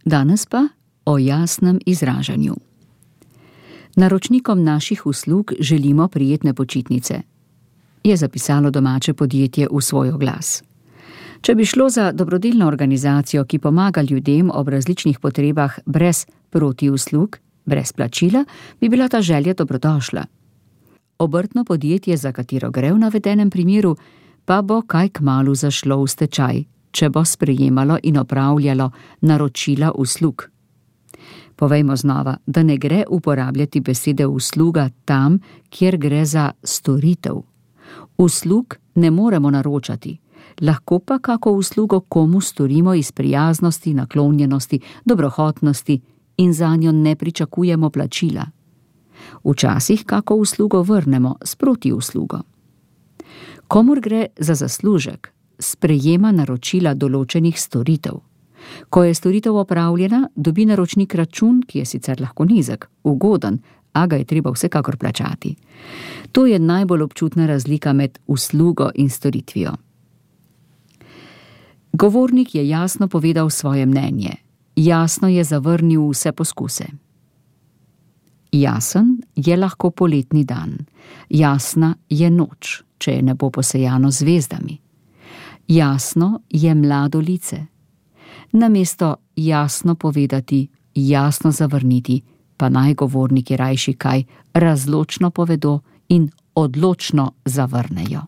Danes pa o jasnem izražanju. Naročnikom naših uslug želimo prijetne počitnice, je zapisalo domače podjetje v svoj oglas. Če bi šlo za dobrodelno organizacijo, ki pomaga ljudem ob različnih potrebah brez protiuslug, brez plačila, bi bila ta želja dobrodošla. Obrtno podjetje, za katero gre v navedenem primeru, pa bo kaj kmalu zašlo v stečaj, če bo sprejemalo in opravljalo naročila uslug. Povejmo znova, da ne gre uporabljati besede usluga tam, kjer gre za storitev. Uslug ne moremo naročati, lahko pa kako uslugo komu storimo iz prijaznosti, naklonjenosti, dobrohotnosti in zanjo ne pričakujemo plačila. Včasih kako uslugo vrnemo s protiuslugo. Komur gre za zaslužek, sprejema naročila določenih storitev. Ko je storitev opravljena, dobi naročnik račun, ki je sicer lahko nizek, ugoden, a ga je treba vsekakor plačati. To je najbolj občutna razlika med uslugo in storitvijo. Govornik je jasno povedal svoje mnenje, jasno je zavrnil vse poskuse. Jasen je lahko poletni dan, jasna je noč, če je nebo posejano zvezdami. Jasno je mlado lice. Namesto jasno povedati, jasno zavrniti, pa naj govorniki rajši kaj razločno povedo in odločno zavrnejo.